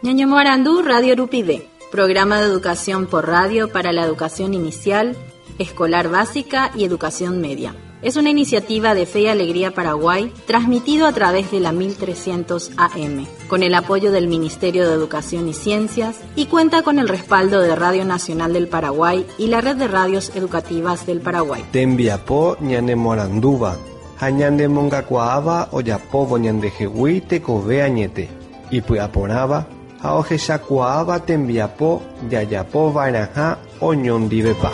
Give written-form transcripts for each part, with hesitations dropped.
Ñañemoarandu Radio Rupive, programa de educación por radio para la educación inicial, escolar básica y educación media. Es una iniciativa de Fe y Alegría Paraguay, transmitido a través de la 1300 AM, con el apoyo del Ministerio de Educación y Ciencias y cuenta con el respaldo de Radio Nacional del Paraguay y la Red de Radios Educativas del Paraguay. Tembiapo ñanemoarandúva ha ñanemongakuaáva ojapóvo ñandehegui tekove añete, ipy'aporãva ha ohechakuaáva tembiapo jajapova'erãha oñondivepa.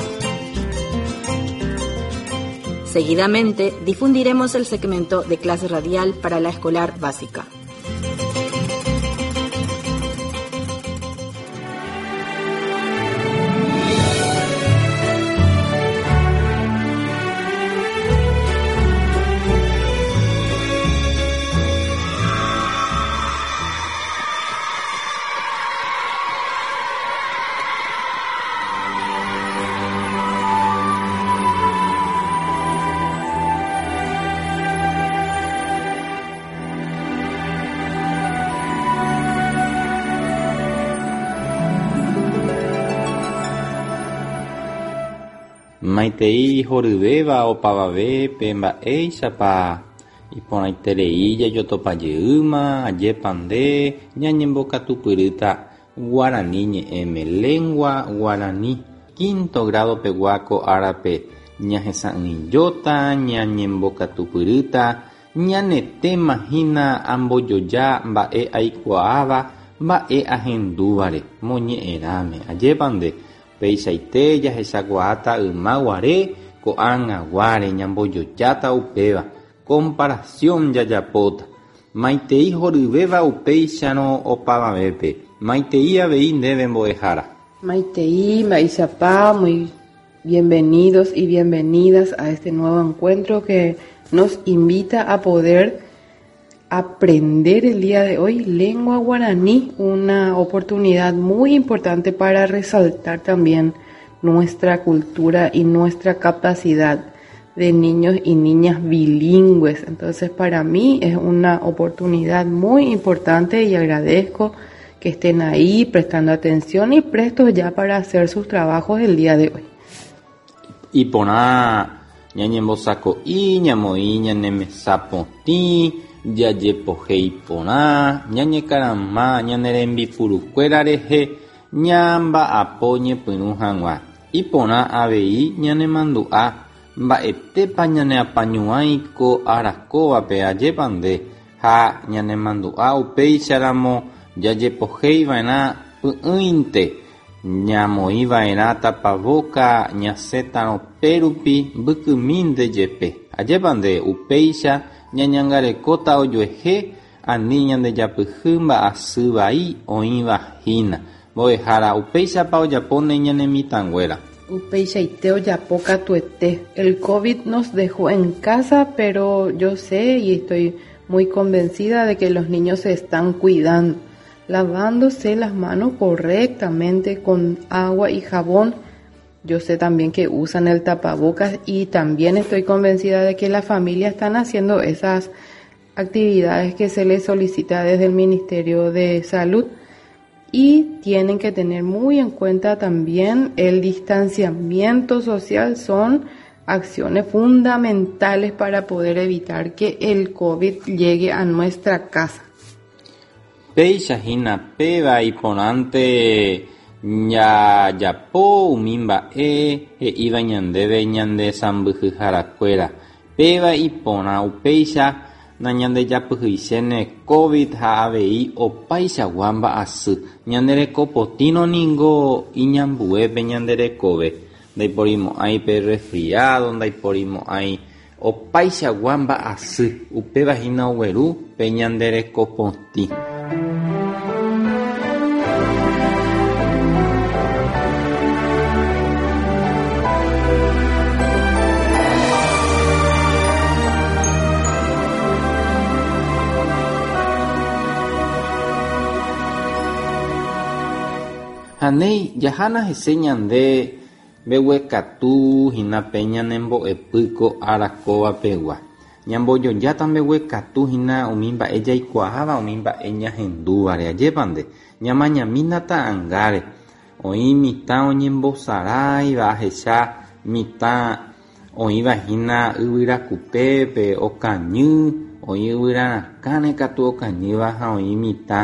Seguidamente difundiremos el segmento de clase radial para la escolar básica. Maitei horyvéva opavavépe mba'éichapa iporãiterei jajotopa jeýma, ajépa nde ñañembokatupyrýta Guarani ñe'ẽme, lengua guarani, quinto grado pegua ko árape ñahesa'ỹijóta, ñañembokatupyrýta, ñane téma hína ambojoja mba'e aikuaáva mba'e ahendúvare, moñe'ẽrãme, ajépa nde Peichaite jahechakuaáta yma guare ko'ág̃aguáre ñambojojáta upéva, comparación jajapóta. Maitei horyvéva upéicharõ opavavépe, maitei avei ndéve mbo'ehára. Maitei, mba'eichapa, muy bienvenidos y bienvenidas a este nuevo encuentro que nos invita a poder aprender el día de hoy lengua guaraní, una oportunidad muy importante para resaltar también nuestra cultura y nuestra capacidad de niños y niñas bilingües. Entonces para mí es una oportunidad muy importante y agradezco que estén ahí prestando atención y prestos ya para hacer sus trabajos el día de hoy. Iporã ñañembosako'i, ñamoĩ ñane mesa potĩ, jajepohéi porã, ñañekarama ñane rembipurukuéra rehe ñamba'apo ñepyrũ hag̃ua. Iporã avei ñanemandu'a mba'etépa ñaneapañuãi ko ára kóvape, ajépa nde, ha ñanemandu'a upéicharamo jajepoheiva'erã py'ỹinte Ñamoĩva'erã tapavóka ñasẽtarõ pérupi mbykymínte jepe. Ajépa nde, upéicha ñañangarekóta ojuehe ani ñandejapyhy mba'asy vai oĩva hína. Mbo'ehára, upéichapa ojapóne ñane mitãnguéra? Upeichaite ojapo katuete. El covid nos dejó en casa, pero yo sé y estoy muy convencida de que los niños se están cuidando. Lavándose las manos correctamente con agua y jabón. Yo sé también que usan el tapabocas y también estoy convencida de que las familias están haciendo esas actividades que se les solicita desde el Ministerio de Salud y tienen que tener muy en cuenta también el distanciamiento social son acciones fundamentales para poder evitar que el COVID llegue a nuestra casa. Péicha hína péva iporãnte jajapo umi mba'e he'íva ñandéve ñande sãmbyhyharakuéra. Péva iporã upéicha nañandejapyhyichéne covid ha avei opaichagua mba'asy. Ñande reko potĩrõ ningo iñambue pe ñande rekove. Ndaiporimo'ãi pe resfriado, ndaiporimo'ãi Opaichagua mba'asy, upéva hína ogueru pe ñande reko potĩ. Ha néi, jahána hese ñande Mbeguekatu hína pe ñane mbo'epy ko ára kóva pegua. Ñambojojáta mbeguekatu hína umi mba'e jaikuaáva umi mba'e ñahendúvare. Ajépa nde, ñamañamína ta'angáre. Oĩ mitã oñembosaráiva ahecha mitã oĩva hína yvyra kupépe okañy, oĩ yvyra rakãre katu okañýva ha oĩ mitã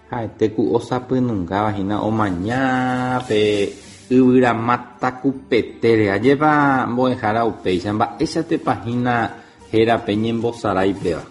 ha'ete ku osapynungáva hína omaña pe yvyra máta kupetére. Ajépa mbo'ehára upéicha mba'éichatepa hína héra pe ñembosarái péva.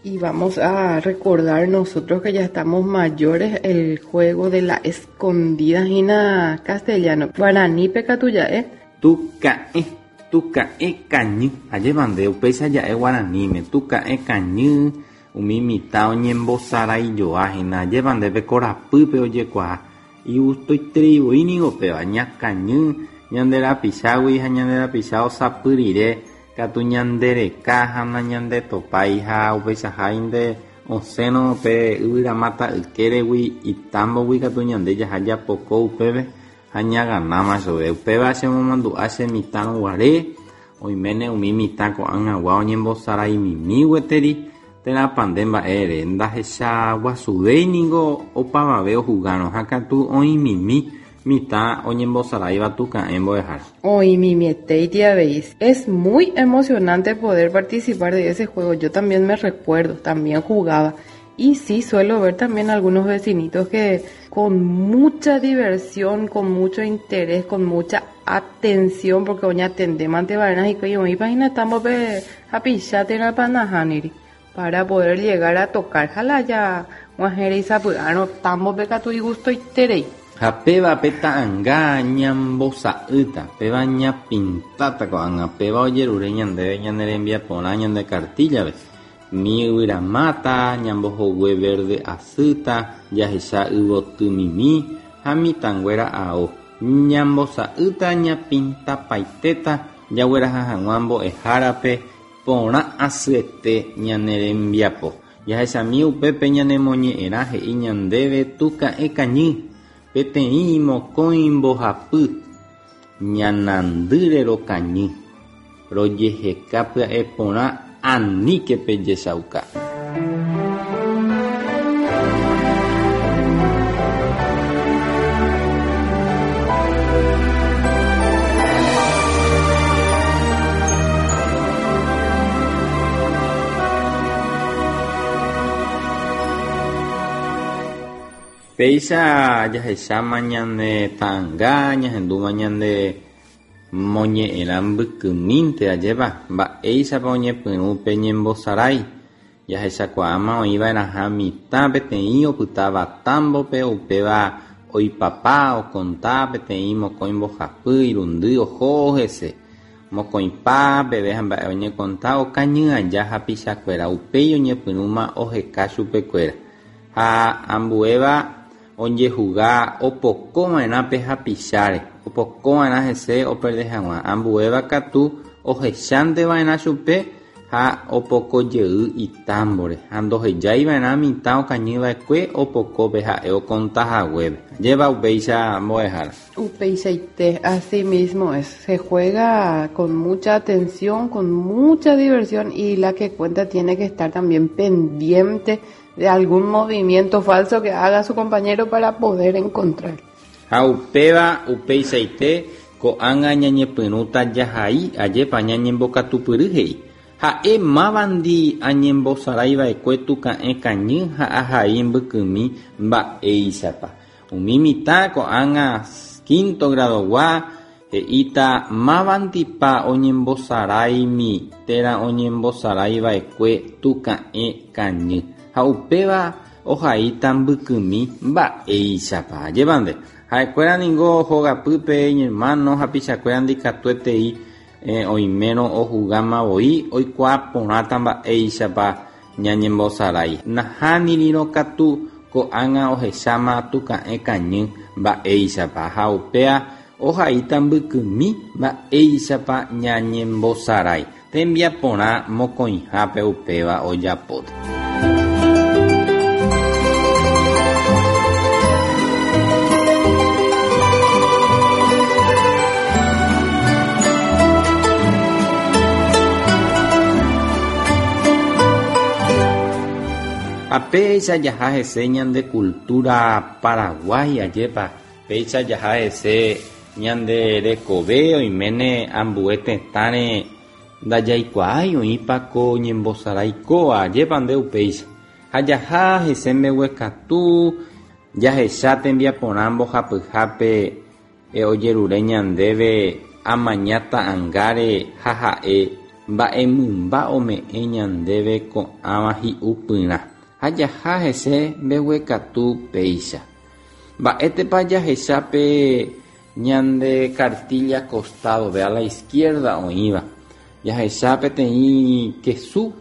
Y vamos a recordar nosotros que ya estamos mayores el juego de la escondida hína castellano. Guaranípe katu ja'e. Tuka'ẽ, tuka'ẽ kañy. Ajépa nde upéicha ja'e guaraníme. Tuka'ẽ kañy, umi mitã oñembosaraijoa hína. Ajépa nde pe korapýpe ojekuaa. Igustoiterei voi niko péva. Ñakañy ñande rapichágui ha ñande rapicha osapy rire katu ñandereka ha nañandetopái ha upeichaháinte osẽrõ pe yvyramáta ykéregui itámbogui katu ñande jaha japoko upépe ha ñaganáma chove. Upéva chemomandu'a che mitãrõ guare, oiméne umi mitã ko'ag̃agua oñembosaraimimi gueteri térãpa nde mba'ére ndahechaguasuvéi ningo opavave ohugárõ ha katu oĩmimi mitã oñembosaráiva tuka'ẽ mbo'ehára. Oĩmimietéiti avei. Es muy emocionante poder participar de ese juego. Yo también me recuerdo, también jugaba. Y sí, suelo ver también algunos vecinitos que con mucha diversión, con mucho interés, con mucha atención, porque oñatendémante va'erã hikuái oĩpa hína támbope hapicha térãpa nahániri, para poder llegar a tocar. Ha la ja g̃uahẽrei sapy'árõ támbope katu igustoiterei. Ha péva pe ta'anga ñambosa'ýta, péva ñapintáta ko'ág̃a, péva ojerure ñandéve ñane rembiaporã ñande kartíllape. Umi yvyramáta, ñambohogue verde asýta, jahecha yvotymimi ha mitãnguéra ao. Ñambosa'ýta ñapintapaitéta jagueraha hag̃ua mbo'ehárape porã asyete ñane rembiapo. Jahechami upépe ñanemoñe'ẽrã he'i ñandéve tuka'ẽ kañy, peteĩ, mokõi, mbohapy, ñanandýre rokañy, rojeheka pya'e porã aníke pejechauka. Péicha jahecháma ñane ta'anga, ñahendúma ñande moñe'ẽrã mbykymínte, ajépa, mba'éichapa oñepyrũ pe ñembosarái. Jahechakuaáma oĩva'erãha mitã peteĩ opytáva támbope, upéva oipapa, okonta peteĩ mokõi mbohapy, irundy oho hese. Mokõipa peve ha mba'e oñekonta okañy aja hapichakuéra, upéi oñepyrũma oheka chupekuéra. Ha ambuéva ojehuga opokova'erã pe hapicháre, opokova'erã hese operde hag̃ua. Ambuéva katu ohechánteva'erã chupe ha opoko jey itámbore ha ndohejaiva'erã mitã okañyva'ekue opoko pe ha'e okonta haguépe. Ajépa upéicha mbo'ehára. Upeichaite, así mismo es. Se juega con mucha atención, con mucha diversión y la que cuenta tiene que estar también pendiente de algún movimiento falso que haga su compañero para poder encontrar. Ha upéva upeichaite ko'ág̃a ñañepyrũta jahai ajépa ñañembokatupyry he'i. Ha'e mávandi añembosaraiva'ekue tuka'ẽ kañy ha ahai mbykymi mba'éichapa. Umi mitã ko'ág̃a quinto gradogua he'íta mávandipa oñembosaráimi térã oñembosaraiva'ekue tuka'ẽ kañy. Ha upéva ohaíta mbykymi mba'éichapa. Ajépa nde. Ha'ekuéra ningo hogapýpe iñermano hapichakuéra ndikatuetei oimérõ ohugáma voi oikuaa porãta mba'éichapa ñañembosarái. Nahánirĩrõ katu ko'ág̃a ohecháma tuka'ẽ kañy mba'éichapa ha upéa ohaíta mbykymi mba'éichapa ñañembosarái. Tembiaporã mokõihápe upéva ojapóta. Ha péicha jaha hese ñande cultura Paraguái, ajépa, péicha jaha hese ñande rekove oiméne ambue tetãre ndajaikuaái oĩpa ko ñembosarái kóva, ajépa nde upéicha. Ha jaha hese mbeguekatu jahecha tembiaporã mbohapyhápe ojerure ñandéve amaña ta'angáre ha ha'e mba'e mymba ome'ẽ ñandéve ko'ãva hi'upyrã. Ha jaha hese mbeguekatu péicha. Mba'étepa jahecha pe ñande cartilla costado, ve a la izquierda oĩva. Jahecha peteĩ kesu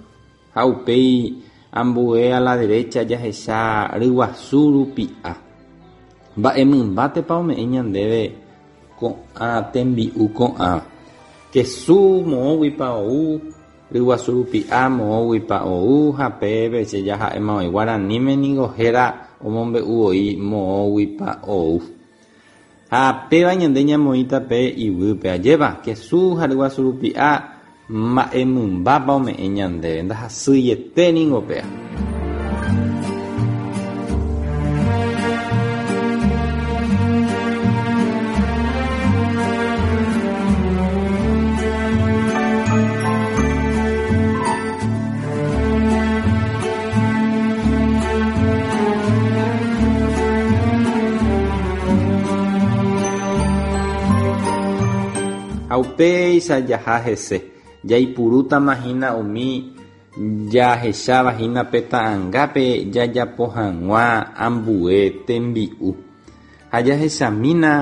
ha upéi ambue a la derecha jahecha ryguasu rupi'a. Mba'e mymbátepa ome'ẽ ñandéve ko'ã tembi'u ko'ãva. Kesu moõguipa ou, ryguasu rupi'a moõguipa ou ha pépe che jaha'éma oĩ. Guaraníme ningo héra omombe'u voi moõguipa ou. Ha péva ñande ñamoĩta pe iguýpe. Ajépa, kesu ha ryguasu rupi'a mba'e mymbápa ome'ẽ ñandéve. Ndahasyiete ningo péa. Ha upéicha jaha hese, jaipurútama hína umi jahecháva hína pe ta'angápe jajapo hag̃ua ambue tembi'u. Ha jahechamína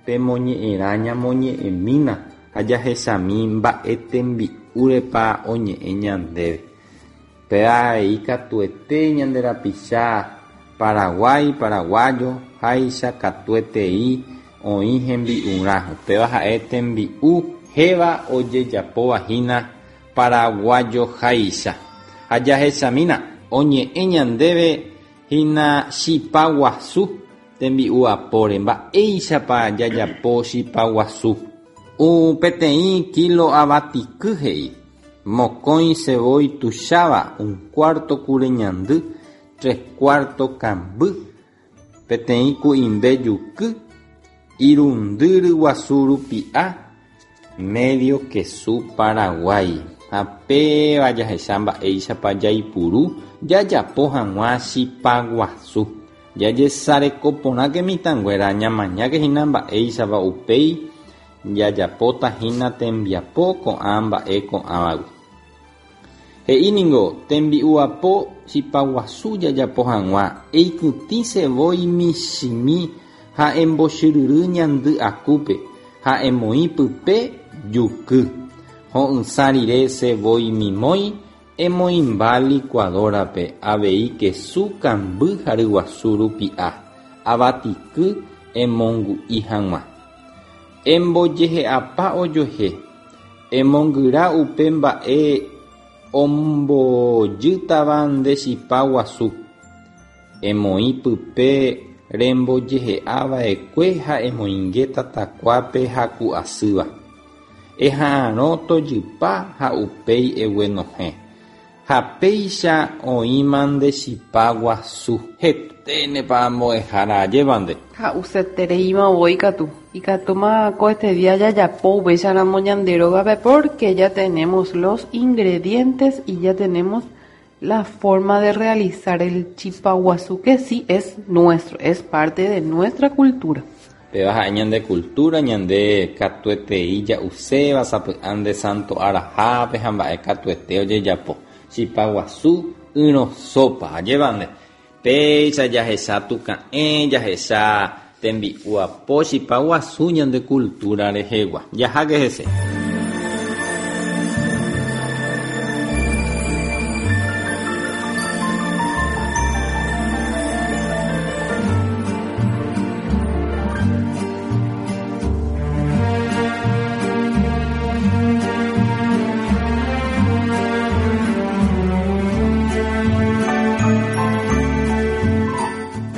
pe moñe'ẽrã ñamoñe'ẽmína ha jahechami mba'e tembi'úrepa oñe'ẽ ñandéve. Péva avei katuete ñande rapicha Paraguái, paraguayo háicha katuetei oĩ hembi'urã. Upéva ha'e tembi'u héva ojejapóva hína paraguayo háicha. Ha jahechamína, oñe'ẽ ñandéve hína chipa guasu tembi'u apóre. Mba'éichapa jajapo chipa guasu? Peteĩ kilo avatiky he'i. Mokõi sevói tuicháva, un cuarto kure ñandy, tres cuarto kamby, peteĩ ku'imbe juky, irundy ryguasu rupi'a, medio kesu Paraguái. Ha péva jahecha mba'éichapa jaipuru jajapo hag̃ua chipa guasu. Jajesareko porãke mitãnguéra, ñamañáke hína mba'éichapa upéi jajapóta hína tembiapo ko'ã mba'e ko'ãvagui. He'i ningo tembi'u apo chipa guasu jajapo hag̃ua, eikytĩ sevói michĩmi ha embochyryry ñandy akúpe ha emoĩ pype juky. Ho'ysã rire sevói mimói emoĩmba licuadora-pe avei kesu kamby ha ryguasu rupi'a, avatiky emongu'i hag̃ua. Embojehe'apa ojuehe, emongyra upe mba'e ombojýtava nde chipa guasu. Emoĩ pype rembojehe'a va'ekue ha emoinge tatakuápe haku asýva. Eha'arõ tojypa ha upéi eguenohẽ. Ha péicha oĩma nde chipa guasu. Heténepa mbo'ehára ajépa nde. Ha'usetereíma voi katu. Ikatúma ko este día jajapo upéicharamo ñande rógape porque ya tenemos los ingredientes y ya tenemos la forma de realizar el chipa guasu que sí es nuestro, es parte de nuestra cultura. Péva ha'e ñande cultura, ñande katuetei ja'uséva sapy'ánte santo arahápe ha mba'e katuete ojejapo. Chipa guasu ỹrõ sopa, ajépa nde. Péicha jahecha tuka'ẽ, jahecha tembi'u apo chipa guasu ñande cultura rehegua. Jaháke hese.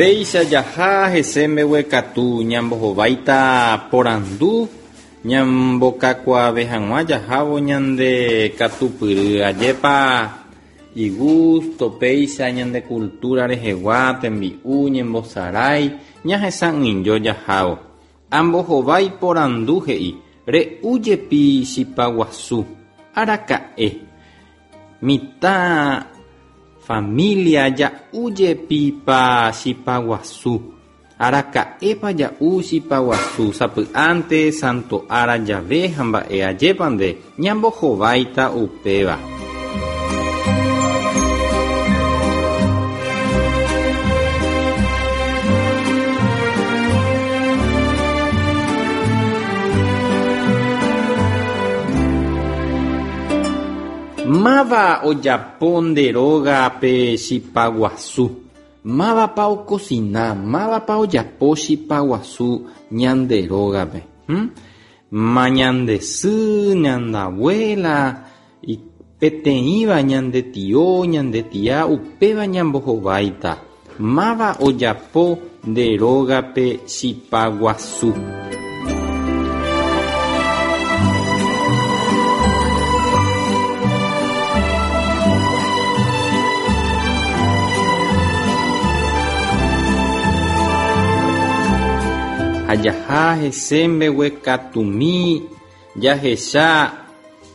Péicha jaha hese mbeguekatu ñambohováita porandu ñambokakuaave hag̃ua jahávo ñande katupyry. Ajépa Igusto péicha ñande cultura rehegua tembi'u ñembosarái ñahesa'ỹijo jahávo. Ambohovái porandu he'i, Re'u jepi chipa guasu. Araka'e. Mitã familia ja'u jepipa chipa guasu. Araka'épa ja'u chipa guasu sapy'ánte santo ára jave ha mba'e ajépa nde ñambohováita upéva. Máva ojapo nde rógape chipa guasu. Mávapa okosina, mávapa ojapo chipa guasu ñande rógape. Hm? Ma ñande sy, ñande abuela, peteĩva ñande tio, ñande tia, upéva ñambohováita. Máva ojapo nde rógape chipa guasu. Ha jaha hese mbeguekatumi jahecha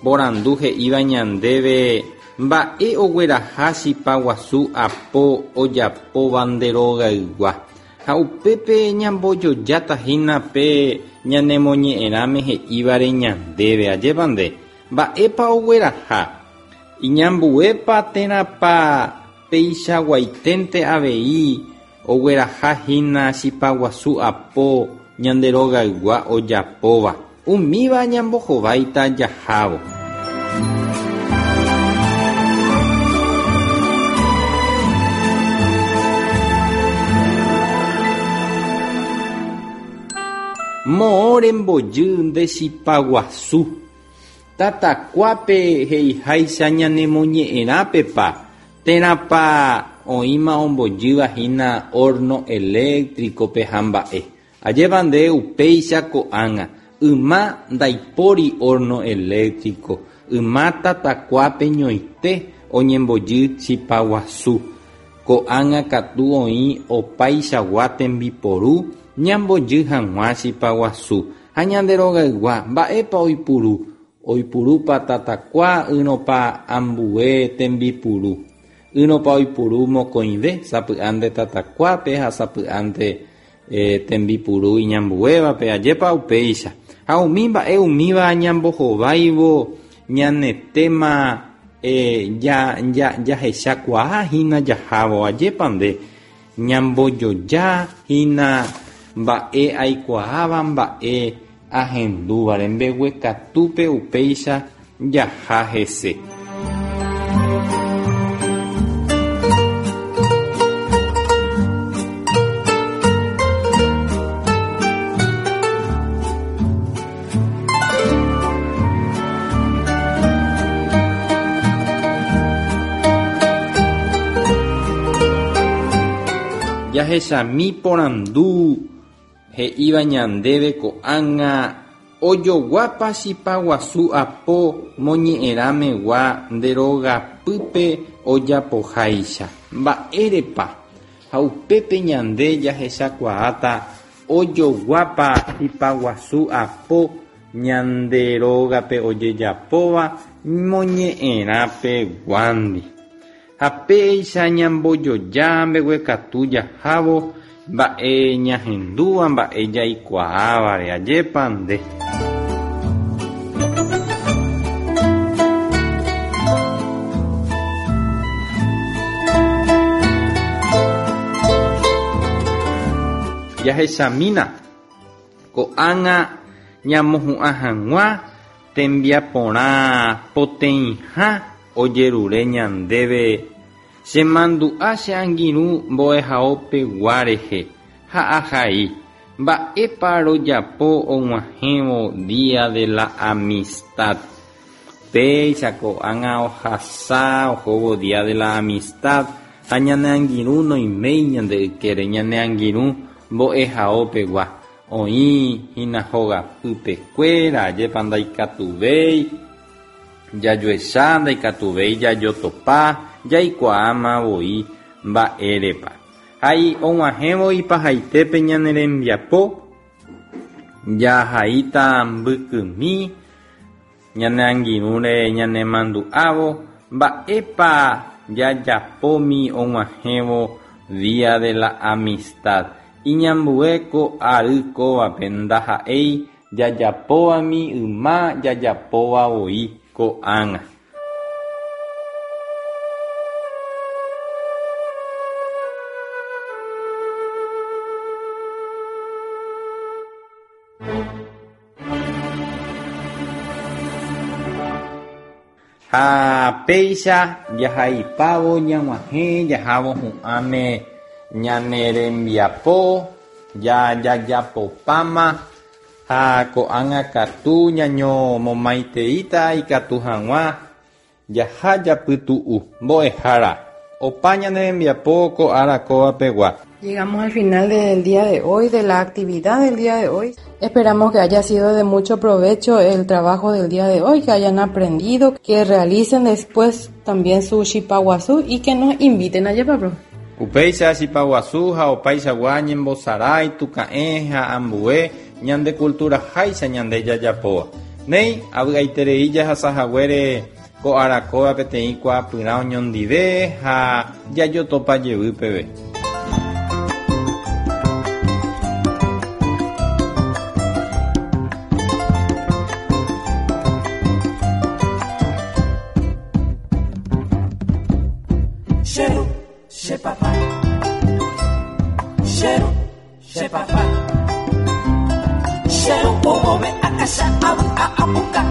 porandu he'íva ñandéve mba'e ogueraha chipa guasu apo ojapóva nde rogaygua. Ha upépe ñambojojáta hína pe ñanemoñe'ẽrãme he'ívare ñandéve, ajépa nde? Mba'épa ogueraha? Iñambuépa térãpa peichaguaiténte avei ogueraha hína chipa guasu apo ñande rogaygua ojapóva? Umíva ñambohováita jahávo. Moõ rembojy nde chipa guasu. Tatakuápe he'iháicha ñanemoñe'ẽrãpepa térãpa oĩma ombojýva hína horno eléctrico-pe ha mba'e. Ajépa nde upéicha ko'ág̃a, yma ndaipóri horno eléctrico, yma tatakuápe ñoite oñembojy chipa guasu. Ko'ág̃a katu oĩ opaichagua tembiporu ñambojy hag̃ua chipa guasu. Ha ñande rogaygua, mba'épa oipuru? Oipurúpa tatakua ỹrõpa ambue tembipuru? Ỹrõpa oipuru mokõive, sapy'ánte tatakuápe ha sapy'ánte tembipuru iñambuévape, ajépa upéicha. Ha umi mba'e umíva ñambohováivo ñane téma jahechakuaa hína jahávo, ajépa nde ñambojoja hína mba'e aikuaáva mba'e ahendúvare mbeguekatúpe upéicha jaha hese. Jahechami porandu He'íva ñandéve ko'ág̃a ojoguápa chipa guasu apo moñe'ẽrãmegua nde rogapýpe ojapoháicha. Mba'érepa? Ha upépe ñande jahechakuaáta ojoguápa chipa guasu apo ñande rógape ojejapóva moñe'ẽrãpeguándi. Ha péicha ñambojoja mbeguekatu jahávo mba'e ñahendúva mba'e jaikuaávare, ajépa nde. Jahechamína ko'ág̃a ñamohu'ã hag̃ua tembiaporã poteĩha Ojerure ñandéve che mandu'a che angirũ mbo'ehao pegua rehe ha ahai, mba'épa rojapo og̃uahẽvo Día de la Amistad. Péicha ko'ág̃a ohasa ohóvo Día de la Amistad ha ñane angirũ noiméi ñande ykére, ñane angirũ mbo'ehao pegua oĩ hína hogapýpe kuéra, ajépa ndaikatuvéi. Jajuecha ndaikatuvéi jajotopa, jaikuaáma voi mba'érepa. Ha og̃uahẽvo ipahaitépe ñane rembiapo, jahaíta mbykymi ñane angirũre ñanemandu'ávo mba'épa jajapómi og̃uahẽvo Día de la Amistad. Iñambue ko ary kóvape ndaha'éi jajapóvami yma jajapóva voi ko'ág̃a. Ha péicha jahaipávo ñag̃uahẽ jahávo hu'ãme ñane rembiapo jajapopáma ha ko'ág̃a katu ñañomomaiteíta ikatu hag̃ua jaha japytu'u. Mbo'ehára, opa ñane rembiapo ko ára kóva pegua. Llegamos al final del día de hoy, de la actividad del día de hoy. Esperamos que haya sido de mucho provecho el trabajo del día de hoy, que hayan aprendido, que realicen después también su chipa guasu y que nos inviten a llevarlo. Upéicha chipa guasu ha opaichagua ñembosarái, tuka'ẽ ha ambue ñande cultura háicha ñande jajapóva. Néi, avy'aiterei jahasahaguére ko ára kóva peteĩ kuaapyrã oñondive ha jajotopa jevy peve. Cheru, che papá. Cheru, che papá. Cheru, oove akasha abu a apuka.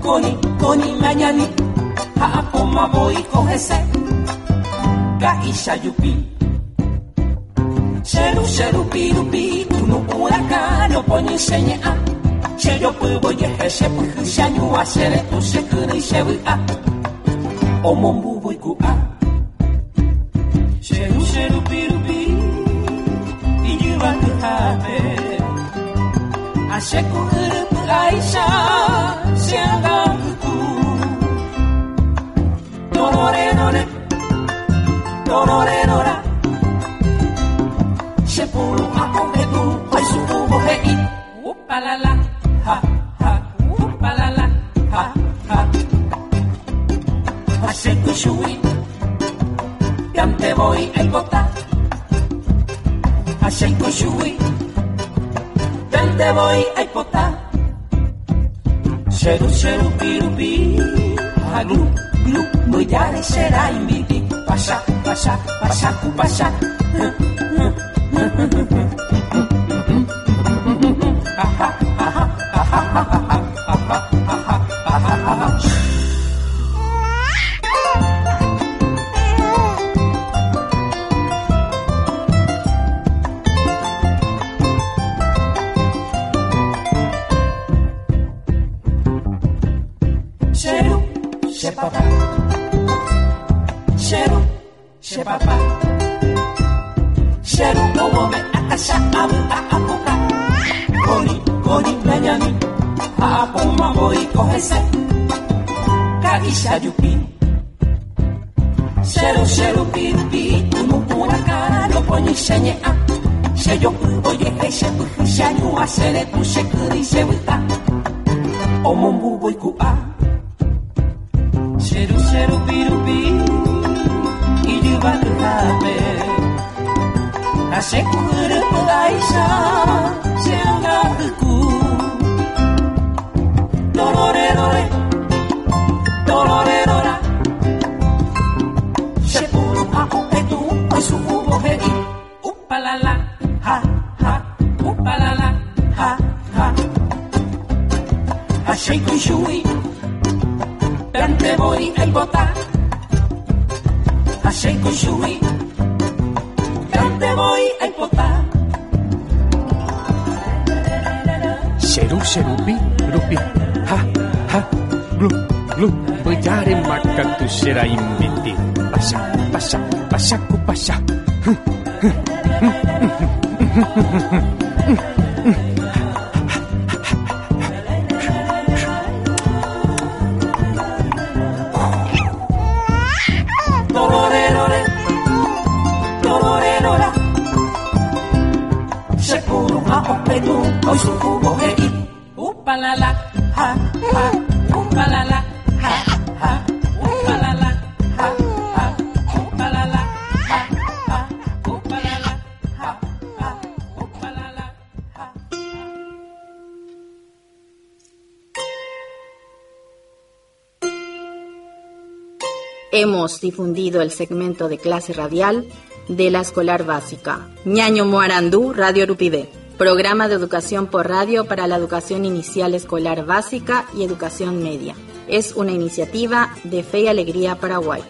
Koni, koni, mañani. Ha apoma voi kohese. Kaisha yupi. Cheru, cheru, piru, pi. Unu huracán, poñi seña. Cheyo puevo yeje, che puju, xañua, xere, tu, che kyrỹi, che vy'a. Omombu voiku'a. Cheru, cheru, piru, pi, ijyvakyhápe. Acheku yrypy'áicha, che ãngapytu. Tororerore, tororerora. Che puru'ã ohe'u, oisu'úvo he'i. Upalala, ha, ha, upalala, ha, ha. Ha che kuchugui, piante voi aipota. Ha che kuchugui, piante voi aipota. Cheru, cheru, piru, pi, ha, glu, glu, mbyjáre che rãimbiti. Pasha, pasha, pasha, ku, pasha. Cheru, che papá. Cheru, che papá. Cheru, owove akasha abu a apuka. Koni, koni, mañani. Ha apoma voi kohese. Kaisha yupi. Cheru, cheru, piru, pi. Unu huracán, poñi xeñe'ã. Che jopy ojehe, che pyhy, che añua, che retu, che kyrỹi, che vy'a. Omombu voiku'a. Cheru, cheru, piru, pi, ijyvakyhápe. Ha che ku'yrypy'áicha, che ãngapyku. Tororerore, tororerora. Che puru'ã ohetu, oisu'úvo he'i. Upalala, ha, ha, upalala, ha, ha. Ha che kuchugui, piante voi aipota. Ha che kuchugui, piante voi aipota. Cheru, cherupi, rupi, ha, ha, glu, glu, mbyjáre makatu che rãimbiti. Pasha, pasha, pasha, ku, pasha. Hỹ, hỹ, hỹ, hỹ, hỹ, hỹ, hỹ, hỹ. Hemos difundido el segmento de clase radial de la escolar básica. Ñaño Moarandú, Radio Rupivé. Programa de educación por radio para la educación inicial escolar básica y educación media. Es una iniciativa de Fe y Alegría Paraguay.